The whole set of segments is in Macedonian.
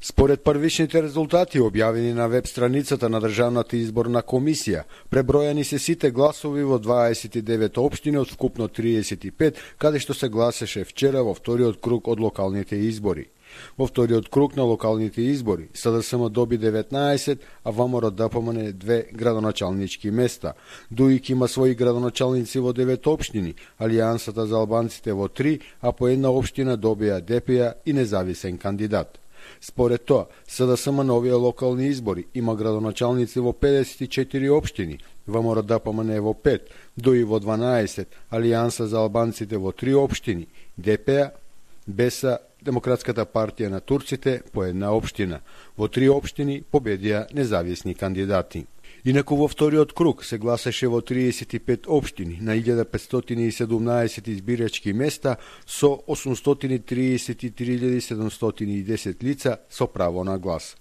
Според првичните резултати објавени на веб страницата на Државната изборна комисија, пребројани се сите гласови во 29 општини од вкупно 35, каде што се гласеше вчера во вториот круг од локалните избори. Во вториот круг на локалните избори СДСМ доби 19, а ВМРО-ДПМН 2 градоначалнички места. ДУИК има своји градоначалници во 9 општини, Алијансата за албанците во 3, а по една општина добија ДПА и независен кандидат. Според тоа, СДСМ на овие локални избори има градоначалници во 54 општини, ВМРО-ДПМН во 5, ДУИ во 12, Алијанса за албанците во 3 општини, ДПА, БЕСА, Демократската партија на турците по една општина. Во 3 општини победија независни кандидати. Инаку во вториот круг се гласаше во 35 општини на 1517 избирачки места со 833.710 лица со право на глас.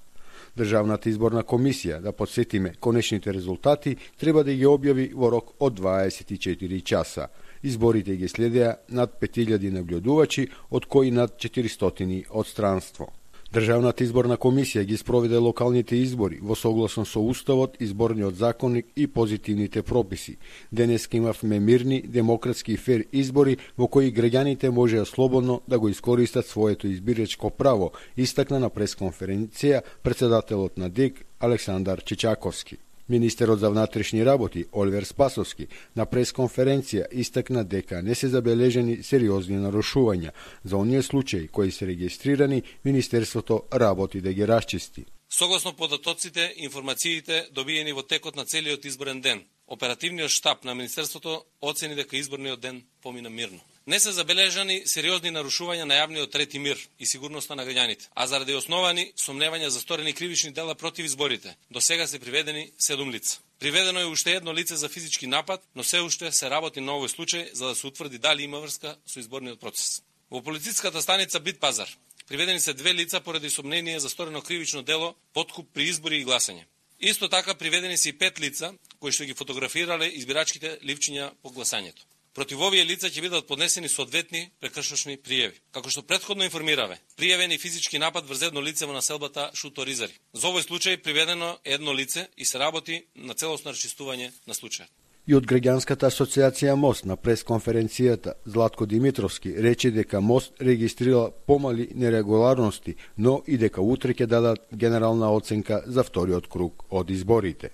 Државната изборна комисија, да подсетиме, конечните резултати треба да ги објави во рок од 24 часа. Изборите ги следеа над 5000 наблюдувачи, од кои над 400 од странство. Државната изборна комисија ги спроведе локалните избори во согласно со Уставот, Изборниот законник и позитивните прописи. Денеска имавме мирни, демократски и фер избори во кои граѓаните можеа слободно да го искористат своето избирачко право, истакна на пресконференција председателот на ДИК Александар Чичаковски. Министерот за внатрешни работи Оливер Спасовски на пресконференција истакна дека не се забележени сериозни нарушувања. За оние случаи кои се регистрирани, Министерството работи да ги расчисти. Согласно податоците и информациите добиени во текот на целиот изборен ден, оперативниот штаб на Министерството оцени дека изборниот ден помина мирно. Не се забележани сериозни нарушувања на јавниот ред и мир и сигурноста на граѓаните, а заради основани сомневања за сторени кривични дела против изборите, до сега се приведени 7 лица. Приведено е уште едно лице за физички напад, но се уште се работи на овој случај за да се утврди дали има врска со изборниот процес. Во полициската станица Бит Пазар приведени се 2 лица поради сомнение за сторено кривично дело подкуп при избори и гласање. Исто така приведени се и 5 лица кои што ги фотографирале избирачките ливчиња по гласањето. Против овие лица ќе бидат поднесени соодветни прекршочни пријави. Како што претходно информираве, пријавен и физички напад врз едно лице во населбата Шуто Ризари. За овој случај приведено едно лице и се работи на целосно расчистување на случајот. И од Граѓанската асоциација МОСТ на пресконференцијата Златко Димитровски рече дека МОСТ регистрира помали нерегуларности, но и дека утре ќе дадат генерална оценка за вториот круг од изборите.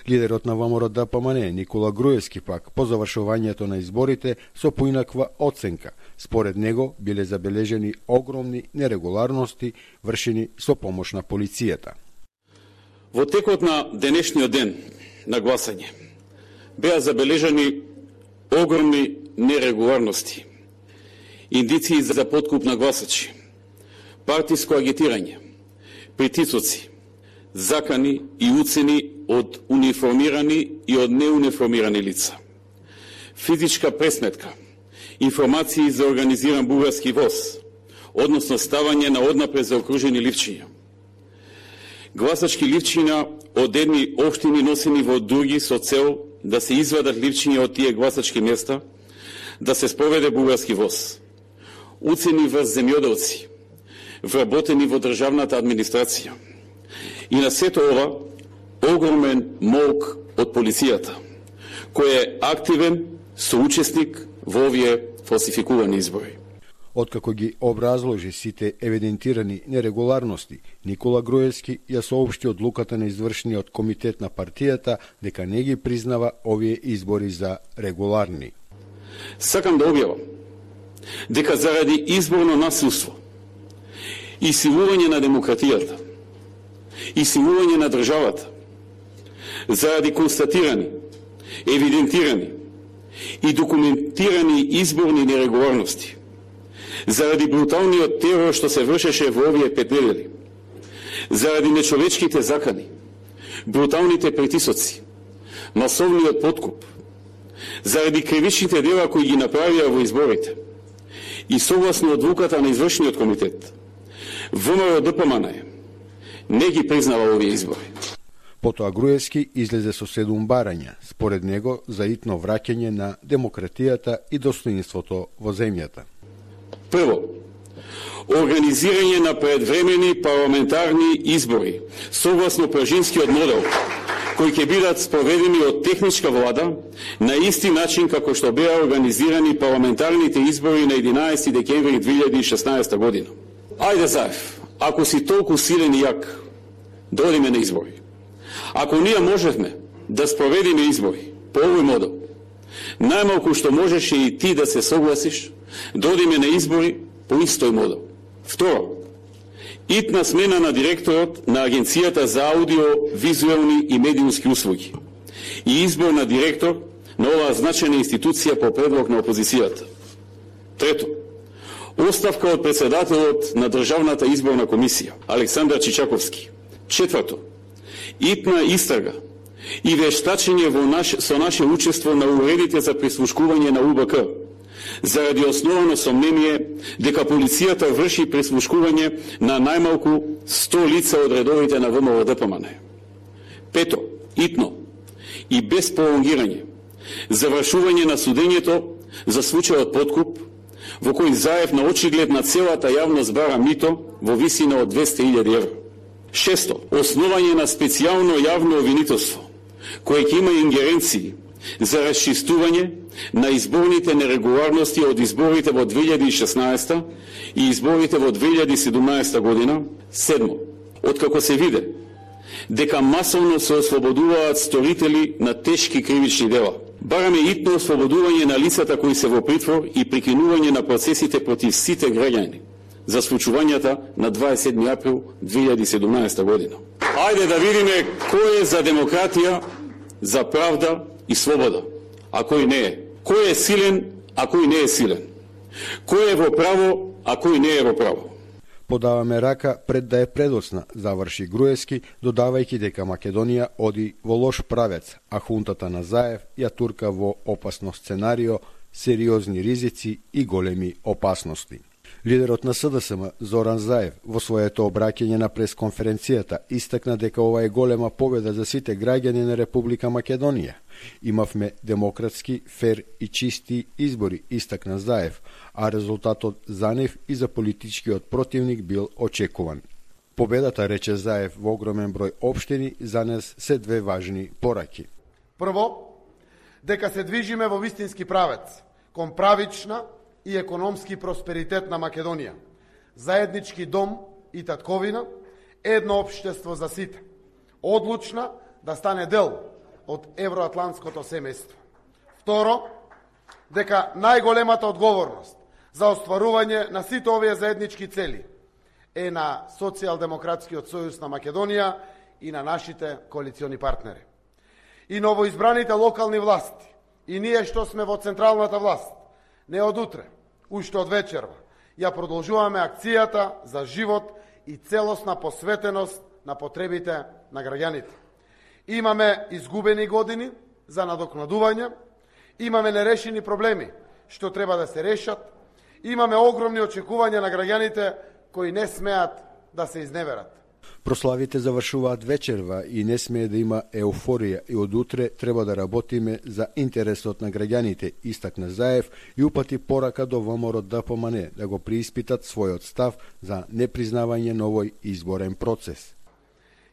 Лидерот на ВМРО-ДПМН Никола Груевски пак по завршувањето на изборите со поинаква оценка. Според него биле забележени огромни нерегуларности вршени со помош на полицијата. Во текот на денешниот ден на гласање беа забележани огромни нерегуларности, индиции за подкуп на гласачи, партиско агитирање, притисоци, закани и уцени од униформирани и од неуниформирани лица, физичка пресметка, информации за организиран бугарски воз, односно ставање на однапред заокружени ливчиња, гласачки ливчиња од едни општини носени во други со цел да се извадат ливчиња од тие гласачки места, да се спроведе бугарски воз, уцени врз земјоделци, вработени во државната администрација. И на сето ова, огромен молк од полицијата, кој е активен соучесник во овие фалсификувани избори. Откако ги образложи сите евидентирани нерегуларности, Никола Груевски ја соопшти одлуката на извршниот комитет на партијата дека не ги признава овие избори за регуларни. Сакам да објавам дека заради изборно насилство и силување на демократијата и силување на државата, заради констатирани, евидентирани и документирани изборни нерегуларности, заради бруталниот терор што се вршеше во овие 5 недели, заради нечовечките закани, бруталните притисоци, масовниот подкуп, заради кривичните дела кои ги направија во изборите и согласно одлуката на извршниот комитет, ВМРО-ДПМН не ги признава овие избори. Потоа Груевски излезе со 7 барања, според него за итно враќање на демократијата и достоинството во земјата. Прво, организирање на предвремени парламентарни избори согласно пржинскиот модел, кои ќе бидат спроведени од техничка влада на исти начин како што беа организирани парламентарните избори на 11 декември 2016 година. Ајде Заев, ако си толку силен и јак, дојдеме на избори. Ако ние можевме да спроведиме избори по овој модел, најмалку што можеше и ти да се согласиш, дојдеме на избори по истој модел. Второ, итна смена на директорот на Агенцијата за аудио-визуелни и медиумски услуги и избор на директор на оваа значајна институција по предлог на опозицијата. Трето, оставка од председателот на Државната изборна комисија, Александар Чичаковски. Четврто, итна истрага и вештачење со наше учество на уредите за прислушкување на УБК, заради основано сомнение дека полицијата врши прислушкување на најмалку 100 лица од редовите на ВМРО-ДПМН. Пето, итно и без пролонгирање, завршување на судењето за случајот подкуп, во кој Заев на очиглед на целата јавност бара мито во висина од 200.000 евро. Шесто, основање на специјално јавно обвинителство, кое ќе има ингеренции за расчистување на изборните нерегуларности од изборите во 2016 и изборите во 2017 година. Седмо, откако се виде дека масовно се ослободуваат сторители на тешки кривични дела, бараме итно ослободување на лицата кои се во притвор и прекинување на процесите против сите граѓани за случувањата на 27 април 2017 година. Ајде да видиме кој е за демократија, за правда и слобода, а кој не е. Кој е силен, а кој не е силен. Кој е во право, а кој не е во право. Подаваме рака пред да е предоцна, заврши Груевски, додавајќи дека Македонија оди во лош правец, а хунтата на Заев ја турка во опасно сценарио, сериозни ризици и големи опасности. Лидерот на СДСМ Зоран Заев во своето обраќање на пресконференцијата истакна дека ова е голема победа за сите граѓани на Република Македонија. Имавме демократски, фер и чисти избори, истакна Заев, а резултатот за нив и за политичкиот противник бил очекуван. Победата, рече Заев, во огромен број општини за нас се две важни пораки. Прво, дека се движиме во вистински правец, кон правична и економски просперитет на Македонија, заеднички дом и татковина, едно општество за сите, одлучна да стане дел од евроатлантското семејство. Второ, дека најголемата одговорност за остварување на сите овие заеднички цели е на Социјалдемократскиот сојуз на Македонија и на нашите коалициони партнери. И новоизбраните локални власти, и ние што сме во централната власт, не од утре, уште од вечерва, ја продолжуваме акцијата за живот и целосна посветеност на потребите на граѓаните. Имаме изгубени години за надокнадување, имаме нерешени проблеми што треба да се решат, имаме огромни очекувања на граѓаните кои не смеат да се изневерат. Прославите завршуваат вечерва и не смее да има еуфорија и од утре треба да работиме за интересот на граѓаните, истакна Заев и упати порака до ВМРО-ДПМН да го прииспитат својот став за непризнавање на овој изборен процес.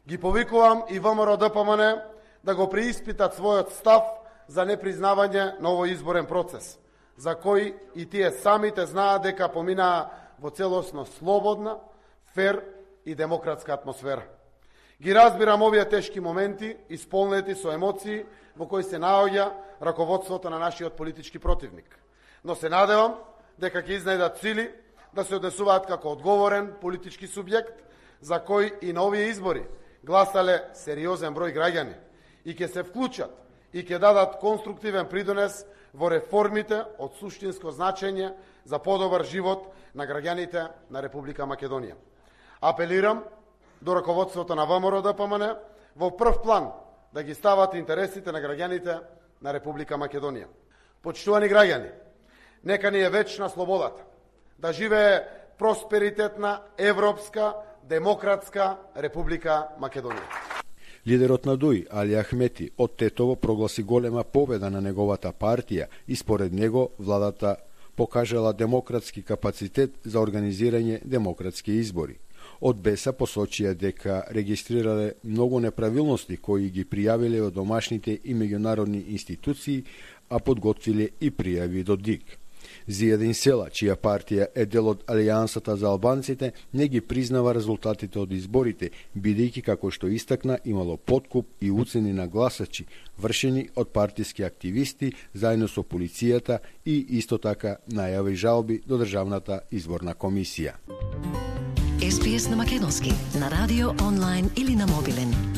Ги повикувам и ВМРО-ДПМН да го прииспитат својот став за непризнавање на овој изборен процес, за кој и тие самите знаат дека поминаа во целосно слободна, фер и демократска атмосфера. Ги разбирам овие тешки моменти, исполнети со емоции во кои се наоѓа раководството на нашиот политички противник. Но се надевам дека ќе изнајдат сили да се однесуваат како одговорен политички субјект за кој и на овие избори гласале сериозен број граѓани и ќе се вклучат и ќе дадат конструктивен придонес во реформите од суштинско значење за подобар живот на граѓаните на Република Македонија. Апелирам до раководството на ВМРО-ДПМН во прв план да ги стават интересите на граѓаните на Република Македонија. Почитувани граѓани, нека ни е вечна слободата, да живее просперитетна, европска, демократска Република Македонија. Лидерот на ДУИ, Али Ахмети, од Тетово прогласи голема победа на неговата партија и според него владата покажала демократски капацитет за организирање демократски избори. Од БЕСА посочија дека регистрирале многу неправилности кои ги пријавиле од домашните и меѓународни институции, а подготвиле и пријави до ДИК. Зијадин Села, чија партија е дел од Алијансата за албанците, не ги признава резултатите од изборите, бидејќи, како што истакна, имало подкуп и уцени на гласачи, вршени од партиски активисти заедно со полицијата и исто така најави жалби до Државната изборна комисија. SBS на македонски, на радио, онлайн или на мобилен.